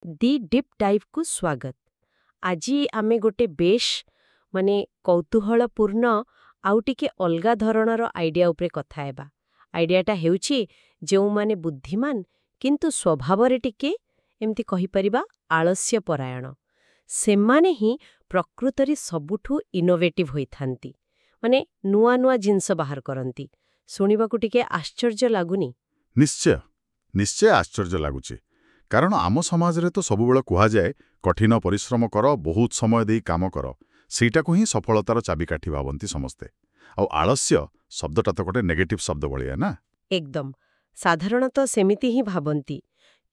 ଦି deep ଡାଇଭ୍କୁ ସ୍ୱାଗତ। ଆଜି ଆମେ ଗୋଟେ ବେଶ ମାନେ କୌତୂହଳପୂର୍ଣ୍ଣ ଆଉ ଟିକେ ଅଲଗା ଧରଣର ଆଇଡିଆ ଉପରେ କଥା ହେବା। ଆଇଡିଆଟା ହେଉଛି ଯେଉଁମାନେ ବୁଦ୍ଧିମାନ କିନ୍ତୁ ସ୍ୱଭାବରେ ଟିକେ ଏମିତି କହିପାରିବା ଆଳସ୍ୟ ପରାୟଣ, ସେମାନେ ହିଁ ପ୍ରକୃତରେ ସବୁଠୁ ଇନୋଭେଟିଭ୍ ହୋଇଥାନ୍ତି, ମାନେ ନୂଆ ନୂଆ ଜିନିଷ ବାହାର କରନ୍ତି। ଶୁଣିବାକୁ ଟିକେ ଆଶ୍ଚର୍ଯ୍ୟ ଲାଗୁନି? ନିଶ୍ଚୟ, ନିଶ୍ଚୟ ଆଶ୍ଚର୍ଯ୍ୟ ଲାଗୁଛି। କାରଣ ଆମ ସମାଜରେ ତ ସବୁବେଳେ କୁହାଯାଏ, କଠିନ ପରିଶ୍ରମ କର, ବହୁତ ସମୟ ଦେଇ କାମ କର। ସେଇଟାକୁ ହିଁ ସଫଳତାର ଚାବିକାଠି ଭାବନ୍ତି ସମସ୍ତେ। ଆଉ ଆଳସ୍ୟ ଶବ୍ଦଟା ତ ଗୋଟେ ନେଗେଟିଭ୍ ଶବ୍ଦ ଭଳିଆ ନା? ଏକଦମ, ସାଧାରଣତଃ ସେମିତି ହିଁ ଭାବନ୍ତି।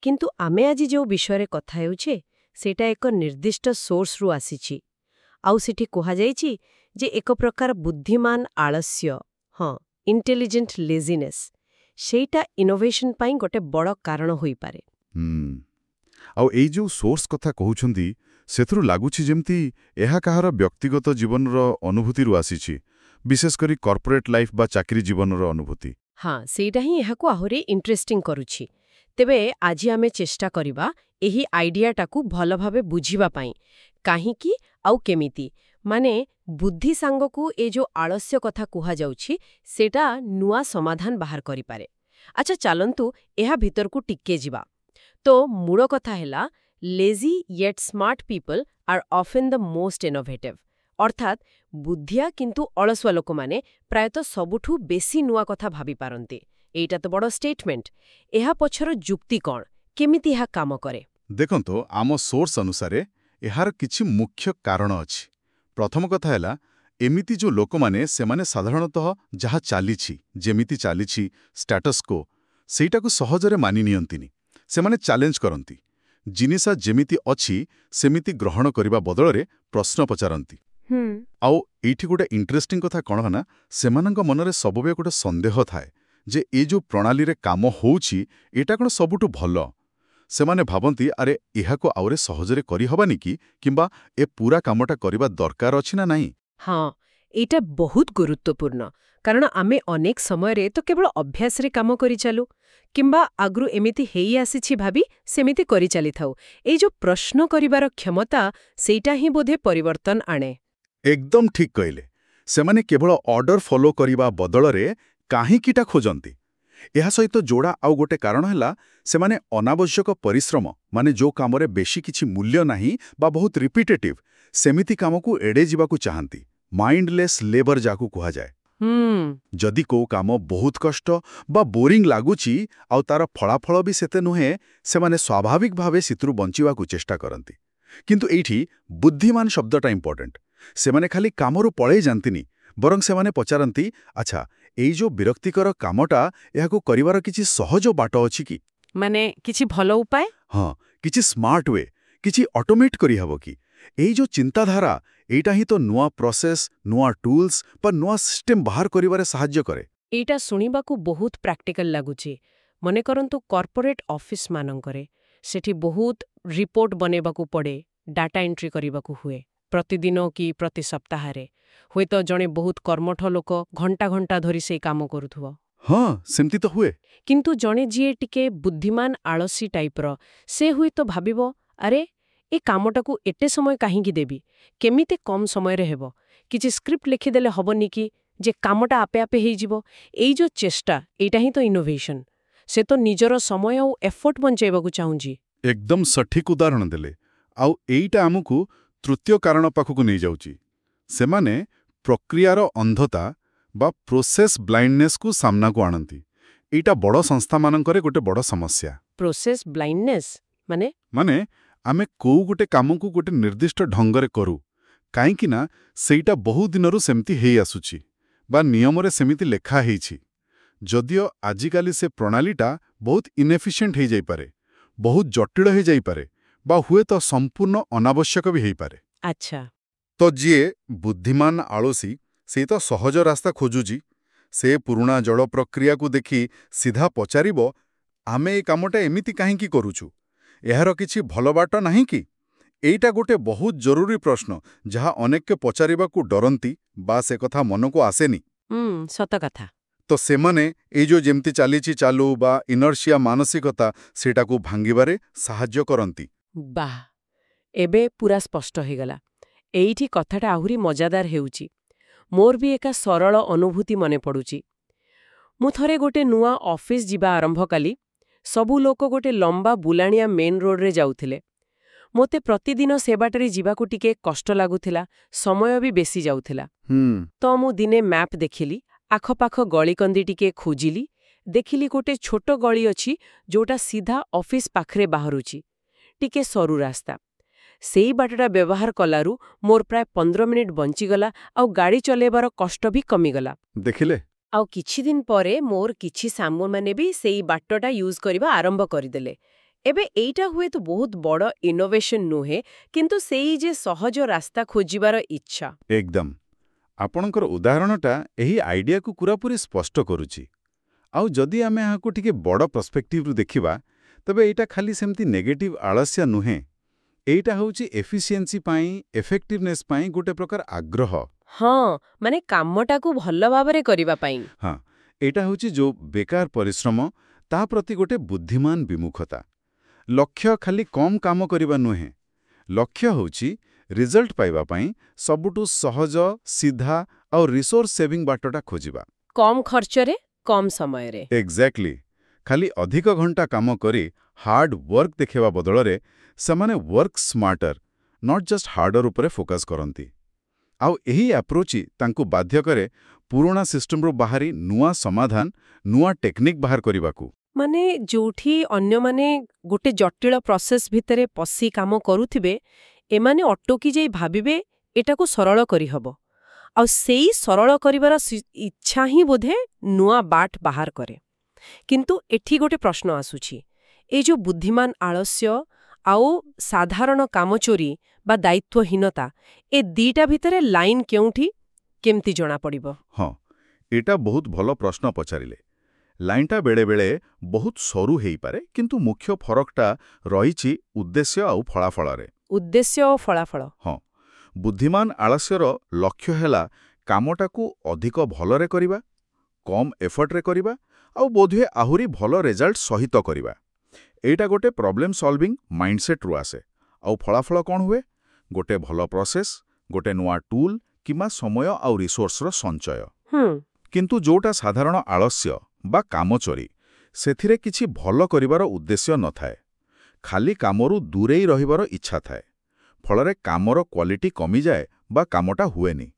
କିନ୍ତୁ ଆମେ ଆଜି ଯେଉଁ ବିଷୟରେ କଥା ହେଉଛେ, ସେଇଟା ଏକ ନିର୍ଦ୍ଦିଷ୍ଟ ସୋର୍ସରୁ ଆସିଛି। ଆଉ ସେଠି କୁହାଯାଇଛି ଯେ ଏକ ପ୍ରକାର ବୁଦ୍ଧିମାନ ଆଳସ୍ୟ, ହଁ, ଇଣ୍ଟେଲିଜେଣ୍ଟ ଲେଜିନେସ୍, ସେଇଟା ଇନୋଭେସନ ପାଇଁ ଗୋଟେ ବଡ଼ କାରଣ ହୋଇପାରେ। ଆଉ ଏଇ ଯେଉଁ ସୋର୍ସ କଥା କହୁଛନ୍ତି, ସେଥିରୁ ଲାଗୁଛି ଯେମିତି ଏହା କାହାର ବ୍ୟକ୍ତିଗତ ଜୀବନର ଅନୁଭୂତିରୁ ଆସିଛି, ବିଶେଷ କରି କର୍ପୋରେଟ୍ ଲାଇଫ୍ ବା ଚାକିରି ଜୀବନର ଅନୁଭୂତି। ହଁ, ସେଇଟା ହିଁ ଏହାକୁ ଆହୁରି ଇଣ୍ଟରେଷ୍ଟିଂ କରୁଛି। ତେବେ ଆଜି ଆମେ ଚେଷ୍ଟା କରିବା ଏହି ଆଇଡିଆଟାକୁ ଭଲ ଭାବେ ବୁଝିବା ପାଇଁ, କାହିଁକି ଆଉ କେମିତି, ମାନେ ବୁଦ୍ଧି ସାଙ୍ଗକୁ ଏ ଯୋଉ ଆଳସ୍ୟ କଥା କୁହାଯାଉଛି, ସେଇଟା ନୂଆ ସମାଧାନ ବାହାର କରିପାରେ। ଆଚ୍ଛା, ଚାଲନ୍ତୁ ଏହା ଭିତରକୁ ଟିକେ ଯିବା। ତ ମୂଳ କଥା ହେଲା, "Lazy yet smart people are often the most innovative." ଅର୍ଥାତ୍ ବୁଦ୍ଧିଆ କିନ୍ତୁ ଅଳସୁଆ ଲୋକମାନେ ପ୍ରାୟତଃ ସବୁଠୁ ବେଶୀ ନୂଆ କଥା ଭାବିପାରନ୍ତି। ଏଇଟା ତ ବଡ଼ ଷ୍ଟେଟମେଣ୍ଟ। ଏହା ପଛର ଯୁକ୍ତି କ'ଣ? କେମିତି ଏହା କାମ କରେ? ଦେଖନ୍ତୁ, ଆମ ସୋର୍ସ ଅନୁସାରେ ଏହାର କିଛି ମୁଖ୍ୟ କାରଣ ଅଛି। ପ୍ରଥମ କଥା ହେଲା, ଏମିତି ଯୋଉ ଲୋକମାନେ, ସେମାନେ ସାଧାରଣତଃ ଯାହା ଚାଲିଛି, ଯେମିତି ଚାଲିଛି, ଷ୍ଟାଟସ୍ କୋ, ସେଇଟାକୁ ସହଜରେ ମାନି ନିଅନ୍ତିନି। ସେମାନେ ଚ୍ୟାଲେଞ୍ଜ କରନ୍ତି। ଜିନିଷ ଯେମିତି ଅଛି ସେମିତି ଗ୍ରହଣ କରିବା ବଦଳରେ ପ୍ରଶ୍ନ ପଚାରନ୍ତି। ଆଉ ଏଇଠି ଗୋଟେ ଇଣ୍ଟରେଷ୍ଟିଂ କଥା କ'ଣ ନା, ସେମାନଙ୍କ ମନରେ ସବୁବେଳେ ଗୋଟେ ସନ୍ଦେହ ଥାଏ ଯେ ଏ ଯୋଉ ପ୍ରଣାଳୀରେ କାମ ହଉଛି, ଏଇଟା କ'ଣ ସବୁଠୁ ଭଲ? ସେମାନେ ଭାବନ୍ତି, ଆରେ, ଏହାକୁ ଆହୁରି ସହଜରେ କରିହବନି କି? କିମ୍ବା ଏ ପୁରା କାମଟା କରିବା ଦରକାର ଅଛି ନା ନାହିଁ? ହଁ, ଏଇଟା ବହୁତ ଗୁରୁତ୍ୱପୂର୍ଣ୍ଣ, କାରଣ ଆମେ ଅନେକ ସମୟରେ ତ କେବଳ ଅଭ୍ୟାସରେ କାମ କରିଚାଲୁ କିମ୍ବା ଆଗରୁ ଏମିତି ହେଇ ଆସିଛି ଭାବି ସେମିତି କରିଚାଲିଥାଉ। ଏଇ ଯୋଉ ପ୍ରଶ୍ନ କରିବାର କ୍ଷମତା, ସେଇଟା ହିଁ ବୋଧେ ପରିବର୍ତ୍ତନ ଆଣେ। ଏକଦମ ଠିକ୍ କହିଲେ। ସେମାନେ କେବଳ ଅର୍ଡର ଫଲୋ କରିବା ବଦଳରେ କାହିଁକିଟା ଖୋଜନ୍ତି। ଏହା ସହିତ ଯୋଡ଼ା ଆଉ ଗୋଟେ କାରଣ ହେଲା, ସେମାନେ ଅନାବଶ୍ୟକ ପରିଶ୍ରମ, ମାନେ ଯୋଉ କାମରେ ବେଶୀ କିଛି ମୂଲ୍ୟ ନାହିଁ ବା ବହୁତ ରିପିଟେଟିଭ୍, ସେମିତି କାମକୁ ଏଡ଼େଇ ଯିବାକୁ ଚାହାନ୍ତି। ମାଇଣ୍ଡଲେସ୍ ଲେବର ଯାହାକୁ କୁହାଯାଏ। ଯଦି କୋଉ କାମ ବହୁତ କଷ୍ଟ ବା ବୋରିଂ ଲାଗୁଛି ଆଉ ତାର ଫଳାଫଳ ବି ସେତେ ନୁହେଁ, ସେମାନେ ସ୍ୱାଭାବିକ ଭାବେ ସେଥିରୁ ବଞ୍ଚିବାକୁ ଚେଷ୍ଟା କରନ୍ତି। କିନ୍ତୁ ଏଇଠି ବୁଦ୍ଧିମାନ ଶବ୍ଦଟା ଇମ୍ପୋର୍ଟାଣ୍ଟ। ସେମାନେ ଖାଲି କାମରୁ ପଳେଇ ଯାଆନ୍ତିନି, ବରଂ ସେମାନେ ପଚାରନ୍ତି, ଆଚ୍ଛା, ଏଇ ଯୋଉ ବିରକ୍ତିକର କାମଟା, ଏହାକୁ କରିବାର କିଛି ସହଜ ବାଟ ଅଛି କି? ମାନେ କିଛି ଭଲ ଉପାୟ? ହଁ, କିଛି ସ୍ମାର୍ଟ we, କିଛି ଅଟୋମେଟ୍ କରିହେବ କି? ଏଇ ଯୋଉ ଚିନ୍ତାଧାରା, ଏଇଟା ହିଁ ତ ନୂଆ ପ୍ରୋସେସ୍, ନୂଆ ଟୁଲ୍ସ ବା ନୂଆ ସିଷ୍ଟମ ବାହାର କରିବାରେ ସାହାଯ୍ୟ କରେ। ଏଇଟା ଶୁଣିବାକୁ ବହୁତ ପ୍ରାକ୍ଟିକାଲ ଲାଗୁଛି। ମନେ କରନ୍ତୁ କର୍ପୋରେଟ୍ ଅଫିସ ମାନଙ୍କରେ ସେଠି ବହୁତ ରିପୋର୍ଟ ବନେଇବାକୁ ପଡ଼େ, ଡାଟା ଏଣ୍ଟ୍ରି କରିବାକୁ ହୁଏ ପ୍ରତିଦିନ କି ପ୍ରତି ସପ୍ତାହରେ। ହୁଏତ ଜଣେ ବହୁତ କର୍ମଠ ଲୋକ ଘଣ୍ଟା ଘଣ୍ଟା ଧରି ସେଇ କାମ କରୁଥିବ। ହଁ, ସେମିତି ତ ହୁଏ। କିନ୍ତୁ ଜଣେ ଯିଏ ଟିକେ ବୁଦ୍ଧିମାନ ଆଳସୀ ଟାଇପ୍ର, ସେ ହୁଏତ ଭାବିବ, ଆରେ, ଏ କାମଟାକୁ ଏତେ ସମୟ କାହିଁକି ଦେବି? କେମିତି କମ୍ ସମୟରେ ହେବ? କିଛି ସ୍କ୍ରିପ୍ଟ ଲେଖିଦେଲେ ହବନି କି ଯେ କାମଟା ଆପେ ଆପେ ହେଇଯିବ? ଏଇ ଯୋଉ ଚେଷ୍ଟା, ଏଇଟା ହିଁ ତ ଇନୋଭେସନ। ସେ ତ ନିଜର ସମୟ ଆଉ ଏଫର୍ଟ ବଞ୍ଚେଇବାକୁ ଚାହୁଁଛି। ଏକଦମ ସଠିକ ଉଦାହରଣ ଦେଲେ। ଆଉ ଏଇଟା ଆମକୁ ତୃତୀୟ କାରଣ ପାଖକୁ ନେଇଯାଉଛି। ସେମାନେ ପ୍ରକ୍ରିୟାର ଅନ୍ଧତା ବା ପ୍ରୋସେସ୍ ବ୍ଲାଇଣ୍ଡନେସ୍କୁ ସାମ୍ନାକୁ ଆଣନ୍ତି। ଏଇଟା ବଡ଼ ସଂସ୍ଥାମାନଙ୍କରେ ଗୋଟେ ବଡ଼ ସମସ୍ୟା। ପ୍ରୋସେସ୍ ବ୍ଲାଇଣ୍ଡନେସ୍ ମାନେ? ମାନେ ଆମେ କୋଉ ଗୋଟେ କାମକୁ ଗୋଟେ ନିର୍ଦ୍ଦିଷ୍ଟ ଢଙ୍ଗରେ କରୁ, କାହିଁକି ନା ସେଇଟା ବହୁ ଦିନରୁ ସେମିତି ହେଇ ଆସୁଛି ବା ନିୟମରେ ସେମିତି ଲେଖା ହେଇଛି। ଯଦିଓ ଆଜିକାଲି ସେ ପ୍ରଣାଳୀଟା ବହୁତ ଇନଏଫିସିଏଣ୍ଟ ହେଇଯାଇପାରେ, ବହୁତ ଜଟିଳ ହେଇଯାଇପାରେ ବା ହୁଏତ ସମ୍ପୂର୍ଣ୍ଣ ଅନାବଶ୍ୟକ ବି ହେଇପାରେ। ତ ଯିଏ ବୁଦ୍ଧିମାନ ଆଳସୀ, ସେ ତ ସହଜ ରାସ୍ତା ଖୋଜୁଛି। ସେ ପୁରୁଣା ଜଡ଼ ପ୍ରକ୍ରିୟାକୁ ଦେଖି ସିଧା ପଚାରିବ, ଆମେ ଏ କାମଟା ଏମିତି କାହିଁକି କରୁଛୁ? ଏହାର କିଛି ଭଲ ବାଟ ନାହିଁ କି? ଏଇଟା ଗୋଟେ ବହୁତ ଜରୁରୀ ପ୍ରଶ୍ନ, ଯାହା ଅନେକେ ପଚାରିବାକୁ ଡରନ୍ତି ବା ସେ କଥା ମନକୁ ଆସେନି। ସତ କଥା। ତ ସେମାନେ ଏଇ ଯୋଉ ଯେମିତି ଚାଲିଛି ଚାଲୁ ବା ଇନର୍ସିଆ ମାନସିକତା, ସେଇଟାକୁ ଭାଙ୍ଗିବାରେ ସାହାଯ୍ୟ କରନ୍ତି। ବାଃ, ଏବେ ପୁରା ସ୍ପଷ୍ଟ ହେଇଗଲା। ଏଇଠି କଥାଟା ଆହୁରି ମଜାଦାର ହେଉଛି। ମୋର ବି ଏକା ସରଳ ଅନୁଭୂତି ମନେ ପଡୁଛି। ମୁଁ ଥରେ ଗୋଟେ ନୂଆ ଅଫିସ ଯିବା ଆରମ୍ଭ କଲି। ସବୁ ଲୋକ ଗୋଟେ ଲମ୍ବା ବୁଲାଣିଆ ମେନ୍ ରୋଡରେ ଯାଉଥିଲେ। ମୋତେ ପ୍ରତିଦିନ ସେ ବାଟରେ ଯିବାକୁ ଟିକେ କଷ୍ଟ ଲାଗୁଥିଲା, ସମୟ ବି ବେଶୀ ଯାଉଥିଲା। ତ ମୁଁ ଦିନେ ମ୍ୟାପ୍ ଦେଖିଲି, ଆଖପାଖ ଗଳିକନ୍ଦି ଟିକେ ଖୋଜିଲି। ଦେଖିଲି ଗୋଟେ ଛୋଟ ଗଳି ଅଛି, ଯୋଉଟା ସିଧା ଅଫିସ ପାଖରେ ବାହାରୁଛି, ଟିକେ ସରୁ ରାସ୍ତା। ସେଇ ବାଟଟା ବ୍ୟବହାର କଲାରୁ ମୋର ପ୍ରାୟ 15 ମିନିଟ୍ ବଞ୍ଚିଗଲା ଆଉ ଗାଡ଼ି ଚଲେଇବାର କଷ୍ଟ ବି କମିଗଲା। ଦେଖିଲେ? ଆଉ କିଛି ଦିନ ପରେ ମୋର କିଛି ସାଙ୍ଗମାନେ ବି ସେଇ ବାଟଟା ୟୁଜ୍ କରିବା ଆରମ୍ଭ କରିଦେଲେ। ଏବେ ଏଇଟା ହୁଏତ ବହୁତ ବଡ଼ ଇନୋଭେସନ ନୁହେଁ, କିନ୍ତୁ ସେଇ ଯେ ସହଜ ରାସ୍ତା ଖୋଜିବାର ଇଚ୍ଛା। ଏକଦମ। ଆପଣଙ୍କର ଉଦାହରଣଟା ଏହି ଆଇଡିଆକୁ ପୁରାପୁରି ସ୍ପଷ୍ଟ କରୁଛି। ଆଉ ଯଦି ଆମେ ଏହାକୁ ଟିକେ ବଡ଼ ପର୍ସପେକ୍ଟିଭରୁ ଦେଖିବା, ତେବେ ଏଇଟା ଖାଲି ସେମିତି ନେଗେଟିଭ୍ ଆଳସ୍ୟ ନୁହେଁ। ଏଇଟା ହେଉଛି ଏଫିସିଏନ୍ସି ପାଇଁ, ଏଫେକ୍ଟିଭନେସ୍ ପାଇଁ ଗୋଟେ ପ୍ରକାର ଆଗ୍ରହ। ହଁ, ମାନେ କାମଟାକୁ ଭଲ ଭାବରେ କରିବା ପାଇଁ। ହଁ, ଏଇଟା ହେଉଛି ଯୋଉ ବେକାର ପରିଶ୍ରମ, ତା ପ୍ରତି ଗୋଟେ ବୁଦ୍ଧିମାନ ବିମୁଖତା। ଲକ୍ଷ୍ୟ ଖାଲି କମ୍ କାମ କରିବା ନୁହେଁ। ଲକ୍ଷ୍ୟ ହେଉଛି ରେଜଲ୍ଟ ପାଇବା ପାଇଁ ସବୁଠୁ ସହଜ, ସିଧା ଆଉ ରିସୋର୍ସ ସେଭିଂ ବାଟଟା ଖୋଜିବା। କମ୍ ଖର୍ଚ୍ଚରେ, କମ୍ ସମୟରେ। ଏକ୍ଜାକ୍ଟଲି। ଖାଲି ଅଧିକ ଘଣ୍ଟା କାମ କରି ହାର୍ଡ ୱାର୍କ ଦେଖେଇବା ବଦଳରେ ସେମାନେ work smarter, not just harder ଉପରେ ଫୋକସ୍ କରନ୍ତି। ଆଉ ଏହି ଆପ୍ରୋଚ୍ ତାଙ୍କୁ ବାଧ୍ୟ କରେ ପୁରୁଣା ସିଷ୍ଟମରୁ ବାହାରି ନୂଆ ସମାଧାନ, ନୂଆ ଟେକ୍ନିକ୍ ବାହାର କରିବାକୁ। ମାନେ ଯୋଉଠି ଅନ୍ୟମାନେ ଗୋଟେ ଜଟିଳ ପ୍ରୋସେସ୍ ଭିତରେ ପଶି କାମ କରୁଥିବେ, ଏମାନେ ଅଟକି ଯାଇ ଭାବିବେ ଏଟାକୁ ସରଳ କରିହବ। ଆଉ ସେଇ ସରଳ କରିବାର ଇଚ୍ଛା ହିଁ ବୋଧେ ନୂଆ ବାଟ ବାହାର କରେ। କିନ୍ତୁ ଏଠି ଗୋଟେ ପ୍ରଶ୍ନ ଆସୁଛି। ଏଇ ଯୋଉ ବୁଦ୍ଧିମାନ ଆଳସ୍ୟ ଆଉ ସାଧାରଣ କାମଚୋରି ବା ଦାୟିତ୍ୱହୀନତା, ଏ ଦିଟା ଭିତରେ ଲାଇନ୍ କେଉଁଠି, କେମିତି ଜଣାପଡ଼ିବ? ହଁ, ଏଇଟା ବହୁତ ଭଲ ପ୍ରଶ୍ନ ପଚାରିଲେ। ଲାଇନଟା ବେଳେବେଳେ ବହୁତ ସରୁ ହେଇପାରେ, କିନ୍ତୁ ମୁଖ୍ୟ ଫରକଟା ରହିଛି ଉଦ୍ଦେଶ୍ୟ ଆଉ ଫଳାଫଳରେ। ଉଦ୍ଦେଶ୍ୟ ଓ ଫଳାଫଳ। ହଁ, ବୁଦ୍ଧିମାନ ଆଳସ୍ୟର ଲକ୍ଷ୍ୟ ହେଲା କାମଟାକୁ ଅଧିକ ଭଲରେ କରିବା, କମ୍ ଏଫର୍ଟରେ କରିବା ଆଉ ବୋଧହୁଏ ଆହୁରି ଭଲ ରେଜଲ୍ଟ ସହିତ କରିବା। ଏଇଟା ଗୋଟେ ପ୍ରୋବ୍ଲେମ୍ ସଲଭିଂ ମାଇଣ୍ଡସେଟ୍ରୁ ଆସେ। ଆଉ ଫଳାଫଳ କ'ଣ ହୁଏ? ଗୋଟେ ଭଲ ପ୍ରୋସେସ୍, ଗୋଟେ ନୂଆ ଟୁଲ୍ କିମ୍ବା ସମୟ ଆଉ ରିସୋର୍ସର ସଞ୍ଚୟ। କିନ୍ତୁ ଯୋଉଟା ସାଧାରଣ ଆଳସ୍ୟ ବା କାମଚୋରି, ସେଥିରେ କିଛି ଭଲ କରିବାର ଉଦ୍ଦେଶ୍ୟ ନଥାଏ। ଖାଲି କାମରୁ ଦୂରେଇ ରହିବାର ଇଚ୍ଛା ଥାଏ। ଫଳରେ କାମର କ୍ୱାଲିଟି କମିଯାଏ ବା କାମଟା ହୁଏନି।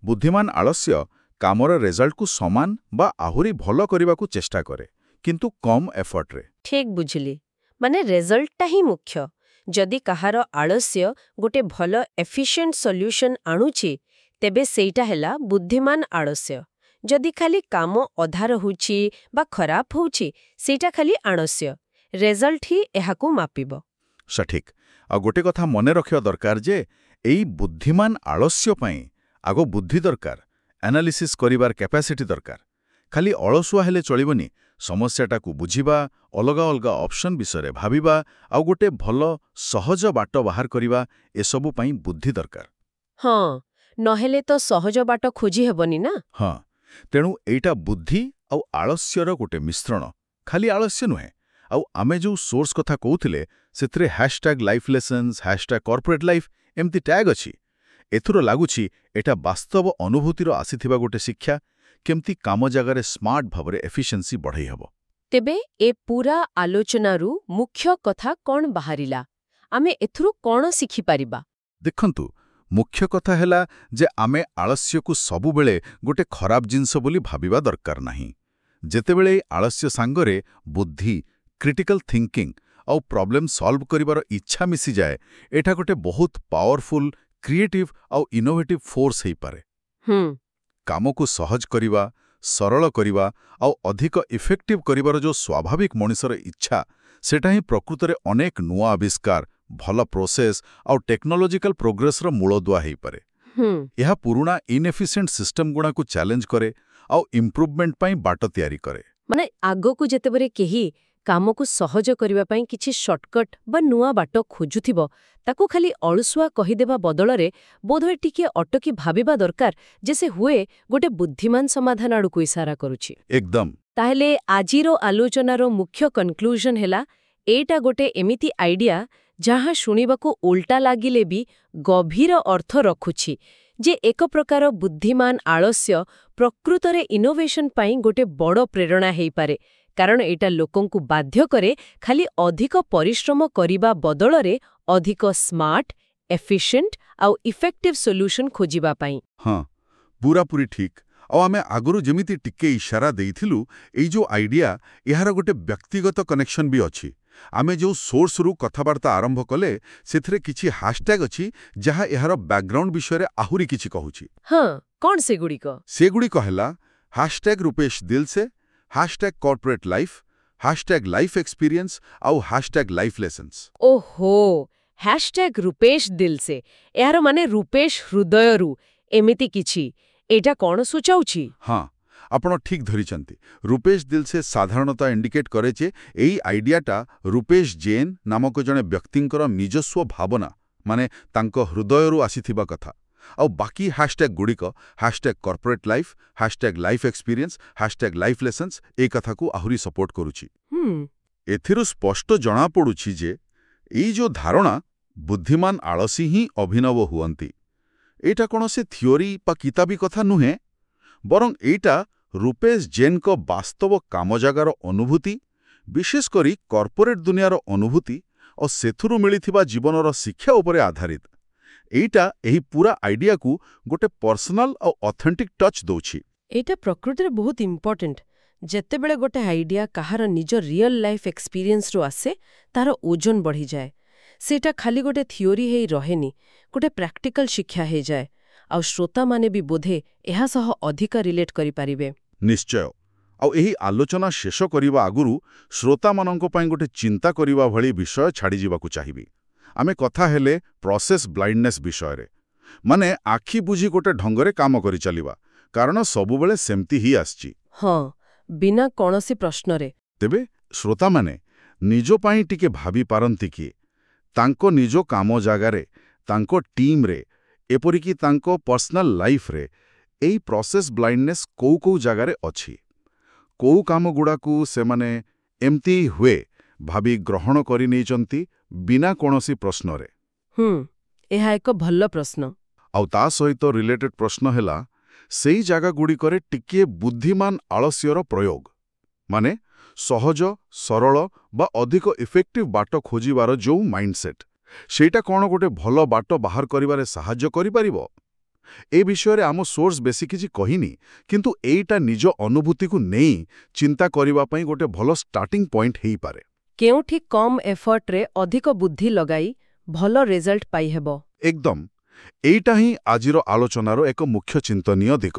ବୁଦ୍ଧିମାନ ଆଳସ୍ୟ କାମର ରେଜଲ୍ଟକୁ ସମାନ ବା ଆହୁରି ଭଲ କରିବାକୁ ଚେଷ୍ଟା କରେ, କିନ୍ତୁ କମ୍ ଏଫର୍ଟରେ। ଠିକ୍ ବୁଝିଲି। ମାନେ ରେଜଲ୍ଟଟା ହିଁ ମୁଖ୍ୟ। ଯଦି କାହାର ଆଳସ୍ୟ ଗୋଟେ ଭଲ ଏଫିସିଏଣ୍ଟ ସଲ୍ୟୁସନ ଆଣୁଛି, ତେବେ ସେଇଟା ହେଲା ବୁଦ୍ଧିମାନ ଆଳସ୍ୟ। ଯଦି ଖାଲି କାମ ଅଧା ରହୁଛି ବା ଖରାପ ହଉଛି, ସେଇଟା ଖାଲି ଆଳସ୍ୟ। ରେଜଲ୍ଟ ହିଁ ଏହାକୁ ମାପିବ। ସଠିକ୍। ଆଉ ଗୋଟେ କଥା ମନେ ରଖିବା ଦରକାର ଯେ ଏଇ ବୁଦ୍ଧିମାନ ଆଳସ୍ୟ ପାଇଁ ଆଗ ବୁଦ୍ଧି ଦରକାର, ଆନାଲିସିସ୍ କରିବାର କ୍ୟାପାସିଟି ଦରକାର। ଖାଲି ଅଳସୁଆ ହେଲେ ଚଳିବନି। ସମସ୍ୟାଟାକୁ ବୁଝିବା, ଅଲଗା ଅଲଗା ଅପସନ୍ ବିଷୟରେ ଭାବିବା ଆଉ ଗୋଟେ ଭଲ ସହଜ ବାଟ ବାହାର କରିବା, ଏସବୁ ପାଇଁ ବୁଦ୍ଧି ଦରକାର। ହଁ, ନହେଲେ ତ ସହଜ ବାଟ ଖୋଜି ହେବନି ନା। ହଁ, ତେଣୁ ଏଇଟା ବୁଦ୍ଧି ଆଉ ଆଳସ୍ୟର ଗୋଟେ ମିଶ୍ରଣ, ଖାଲି ଆଳସ୍ୟ ନୁହେଁ। ଆଉ ଆମେ ଯୋଉ ସୋର୍ସ କଥା କହୁଥିଲେ, ସେଥିରେ #lifelessons, #corporatelife ଏମିତି ଟ୍ୟାଗ୍ ଅଛି। ଏଥିରୁ ଲାଗୁଛି ଏଇଟା ବାସ୍ତବ ଅନୁଭୂତିରୁ ଆସିଥିବା ଗୋଟେ ଶିକ୍ଷା, କେମିତି କାମ ଜାଗାରେ ସ୍ମାର୍ଟ ଭାବରେ ଏଫିସିଏନ୍ସି ବଢ଼େଇ ହେବ। ତେବେ ଏ ପୁରା ଆଲୋଚନାରୁ ମୁଖ୍ୟ କଥା କ'ଣ ବାହାରିଲା? ଆମେ ଏଥିରୁ କ'ଣ ଶିଖିପାରିବା? ଦେଖନ୍ତୁ, ମୁଖ୍ୟ କଥା ହେଲା ଯେ ଆମେ ଆଳସ୍ୟକୁ ସବୁବେଳେ ଗୋଟେ ଖରାପ ଜିନିଷ ବୋଲି ଭାବିବା ଦରକାର ନାହିଁ। ଯେତେବେଳେ ଏଇ ଆଳସ୍ୟ ସାଙ୍ଗରେ ବୁଦ୍ଧି, କ୍ରିଟିକାଲ ଥିଙ୍କିଂ ଆଉ ପ୍ରୋବ୍ଲେମ୍ ସଲ୍ଭ କରିବାର ଇଚ୍ଛା ମିଶିଯାଏ, ଏଇଟା ଗୋଟେ ବହୁତ ପାୱାରଫୁଲ୍, କ୍ରିଏଟିଭ୍ ଆଉ ଇନୋଭେଟିଭ୍ ଫୋର୍ସ ହେଇପାରେ। କାମକୁ ସହଜ କରିବା, ସରଳ କରିବା ଆଉ ଅଧିକ ଇଫେକ୍ଟିଭ୍ କରିବାର ଯୋଉ ସ୍ୱାଭାବିକ ମଣିଷର ଇଚ୍ଛା, ସେଟା ହିଁ ପ୍ରକୃତରେ ଅନେକ ନୂଆ ଆବିଷ୍କାର, ଭଲ ପ୍ରୋସେସ୍ ଆଉ ଟେକ୍ନୋଲୋଜିକାଲ ପ୍ରୋଗ୍ରେସର ମୂଳଦୁଆ ହେଇପାରେ। ଏହା ପୁରୁଣା ଇନ୍ଏଫିସିଏଣ୍ଟ ସିଷ୍ଟମ ଗୁଡ଼ାକୁ ଚ୍ୟାଲେଞ୍ଜ କରେ ଆଉ ଇମ୍ପ୍ରୁଭମେଣ୍ଟ ପାଇଁ ବାଟ ତିଆରି କରେ। ମାନେ ଆଗକୁ ଯେତେବେଳେ କେହି କାମକୁ ସହଜ କରିବା ପାଇଁ କିଛି ସର୍ଟକଟ୍ ବା ନୂଆ ବାଟ ଖୋଜୁଥିବ, ତାକୁ ଖାଲି ଅଳସୁଆ କହିଦେବା ବଦଳରେ ବୋଧହୁଏ ଟିକିଏ ଅଟକି ଭାବିବା ଦରକାର ଯେ ସେ ହୁଏ ଗୋଟେ ବୁଦ୍ଧିମାନ ସମାଧାନ ଆଡ଼କୁ ଇସାରା କରୁଛି। ଏକଦମ। ତାହେଲେ ଆଜିର ଆଲୋଚନାର ମୁଖ୍ୟ କନକ୍ଲୁଜନ ହେଲା, ଏଇଟା ଗୋଟେ ଏମିତି ଆଇଡିଆ ଯାହା ଶୁଣିବାକୁ ଓଲଟା ଲାଗିଲେ ବି ଗଭୀର ଅର୍ଥ ରଖୁଛି ଯେ ଏକ ପ୍ରକାର ବୁଦ୍ଧିମାନ ଆଳସ୍ୟ ପ୍ରକୃତରେ ଇନୋଭେସନ ପାଇଁ ଗୋଟେ ବଡ଼ ପ୍ରେରଣା ହେଇପାରେ, କାରଣ ଏଇଟା ଲୋକଙ୍କୁ ବାଧ୍ୟ କରେ ଖାଲି ଅଧିକ ପରିଶ୍ରମ କରିବା ବଦଳରେ ଅଧିକ ସ୍ମାର୍ଟ, ଏଫିସିଏଣ୍ଟ ଆଉ ଇଫେକ୍ଟିଭ ସଲ୍ୟୁସନ ଖୋଜିବା ପାଇଁ। ହଁ, ପୁରାପୁରି ଠିକ୍। ଆଉ ଆମେ ଆଗରୁ ଯେମିତି ଟିକେ ଇଶାରା ଦେଇଥିଲୁ, ଏଇ ଯୋଉ ଆଇଡିଆ, ଏହାର ଗୋଟେ ବ୍ୟକ୍ତିଗତ କନେକ୍ସନ ବି ଅଛି। ଆମେ ଯୋଉ ସୋର୍ସରୁ କଥାବାର୍ତ୍ତା ଆରମ୍ଭ କଲେ, ସେଥିରେ କିଛି ହ୍ୟାଶଟ୍ୟାଗ ଅଛି ଯାହା ଏହାର ବ୍ୟାକଗ୍ରାଉଣ୍ଡ ବିଷୟରେ ଆହୁରି କିଛି କହୁଛି। ହଁ, କଣ ସେଗୁଡ଼ିକ? ସେଗୁଡ଼ିକ ହେଲା #Rupesh Dilse, #corporate life, #life experience ଆଉ #ଲାଇଫ୍ ଲେସନ୍ସ। ଓହୋ, #ରୂପେଶ ଦିଲସେ, ଏହାର ମାନେ ରୂପେଶ ହୃଦୟରୁ, ଏମିତି କିଛି। ଏଇଟା କଣ ସୂଚାଉଛି? ହଁ, ଆପଣ ଠିକ୍ ଧରିଛନ୍ତି। ରୂପେଶ ଦିଲସେ ସାଧାରଣତଃ ଇଣ୍ଡିକେଟ୍ କରେ ଯେ ଏଇ ଆଇଡିଆଟା ରୂପେଶ ଜୈନ ନାମକ ଜଣେ ବ୍ୟକ୍ତିଙ୍କର ନିଜସ୍ୱ ଭାବନା, ମାନେ ତାଙ୍କ ହୃଦୟରୁ ଆସିଥିବା କଥା। ଆଉ ବାକି ହ୍ୟାଶଟ୍ୟାଗ ଗୁଡ଼ିକ, #corporate life, #life experience, #life lessons, ଏ କଥାକୁ ଆହୁରି ସପୋର୍ଟ କରୁଛି। ଏଥିରୁ ସ୍ପଷ୍ଟ ଜଣାପଡ଼ୁଛି ଯେ ଏଇ ଯୋଉ ଧାରଣା, ବୁଦ୍ଧିମାନ ଆଳସୀ ହିଁ ଅଭିନବ ହୁଅନ୍ତି, ଏଇଟା କୌଣସି ଥିଓରି ବା କିତାବୀ କଥା ନୁହେଁ, ବରଂ ଏଇଟା ରୂପେଶ ଜୈନଙ୍କ ବାସ୍ତବ କାମ ଜାଗାର ଅନୁଭୂତି, ବିଶେଷ କରି କର୍ପୋରେଟ୍ ଦୁନିଆର ଅନୁଭୂତି ଓ ସେଥିରୁ ମିଳିଥିବା ଜୀବନର ଶିକ୍ଷା ଉପରେ ଆଧାରିତ। ଏଇଟା ଏହି ପୁରା ଆଇଡିଆକୁ ଗୋଟେ ପର୍ସନାଲ ଆଉ ଅଥେଣ୍ଟିକ୍ ଟଚ୍ ଦଉଛି। ଏଇଟା ପ୍ରକୃତିରେ ବହୁତ ଇମ୍ପୋର୍ଟାଣ୍ଟ। ଯେତେବେଳେ ଗୋଟେ ଆଇଡିଆ କାହାର ନିଜ ରିଅଲ ଲାଇଫ୍ ଏକ୍ସପିରିଏନ୍ସରୁ ଆସେ, ତାର ଓଜନ ବଢ଼ିଯାଏ। ସେଇଟା ଖାଲି ଗୋଟେ ଥିଓରି ହେଇ ରହେନି, ଗୋଟେ ପ୍ରାକ୍ଟିକାଲ ଶିକ୍ଷା ହେଇଯାଏ। ଆଉ ଶ୍ରୋତାମାନେ ବି ବୋଧେ ଏହା ସହ ଅଧିକ ରିଲେଟ୍ କରିପାରିବେ। ନିଶ୍ଚୟ। ଆଉ ଏହି ଆଲୋଚନା ଶେଷ କରିବା ଆଗରୁ ଶ୍ରୋତାମାନଙ୍କ ପାଇଁ ଗୋଟେ ଚିନ୍ତା କରିବା ଭଳି ବିଷୟ ଛାଡ଼ିଯିବାକୁ ଚାହିଁବି। ଆମେ କଥା ହେଲେ ପ୍ରୋସେସ୍ ବ୍ଲାଇଣ୍ଡନେସ୍ ବିଷୟରେ, ମାନେ ଆଖି ବୁଜି ଗୋଟେ ଢଙ୍ଗରେ କାମ କରିଚାଲିବା, କାରଣ ସବୁବେଳେ ସେମିତି ହିଁ ଆସିଛି। ହଁ, ବିନା କୌଣସି ପ୍ରଶ୍ନରେ। ତେବେ ଶ୍ରୋତାମାନେ ନିଜ ପାଇଁ ଟିକେ ଭାବିପାରନ୍ତି କି ତାଙ୍କ ନିଜ କାମ ଜାଗାରେ, ତାଙ୍କ ଟିମ୍ରେ, ଏପରିକି ତାଙ୍କ ପର୍ସନାଲ ଲାଇଫ୍ରେ ଏଇ ପ୍ରୋସେସ୍ ବ୍ଲାଇଣ୍ଡନେସ୍ କୋଉ କୋଉ ଜାଗାରେ ଅଛି, କୋଉ କାମଗୁଡ଼ାକୁ ସେମାନେ ଏମିତି ହୁଏ ଭାବି ଗ୍ରହଣ କରିନେଇଛନ୍ତି ବିନା କୌଣସି ପ୍ରଶ୍ନରେ। ଏହା ଏକ ଭଲ ପ୍ରଶ୍ନ। ଆଉ ତା ସହିତ ରିଲେଟେଡ୍ ପ୍ରଶ୍ନ ହେଲା, ସେଇ ଜାଗାଗୁଡ଼ିକରେ ଟିକିଏ ବୁଦ୍ଧିମାନ ଆଳସ୍ୟର ପ୍ରୟୋଗ, ମାନେ ସହଜ, ସରଳ ବା ଅଧିକ ଇଫେକ୍ଟିଭ ବାଟ ଖୋଜିବାର ଯୋଉ ମାଇଣ୍ଡସେଟ୍, ସେଇଟା କ'ଣ ଗୋଟେ ଭଲ ବାଟ ବାହାର କରିବାରେ ସାହାଯ୍ୟ କରିପାରିବ? ଏ ବିଷୟରେ ଆମ ସୋର୍ସ ବେଶୀ କିଛି କହିନି, କିନ୍ତୁ ଏଇଟା ନିଜ ଅନୁଭୂତିକୁ ନେଇ ଚିନ୍ତା କରିବା ପାଇଁ ଗୋଟେ ଭଲ ଷ୍ଟାର୍ଟିଂ ପଏଣ୍ଟ ହେଇପାରେ। କେଉଁଠି କମ୍ ଏଫର୍ଟରେ ଅଧିକ ବୁଦ୍ଧି ଲଗାଇ ଭଲ ରେଜଲ୍ଟ ପାଇହେବ। ଏକଦମ। ଏଇଟା ହିଁ ଆଜିର ଆଲୋଚନାର ଏକ ମୁଖ୍ୟ ଚିନ୍ତନୀୟ ଦିଗ।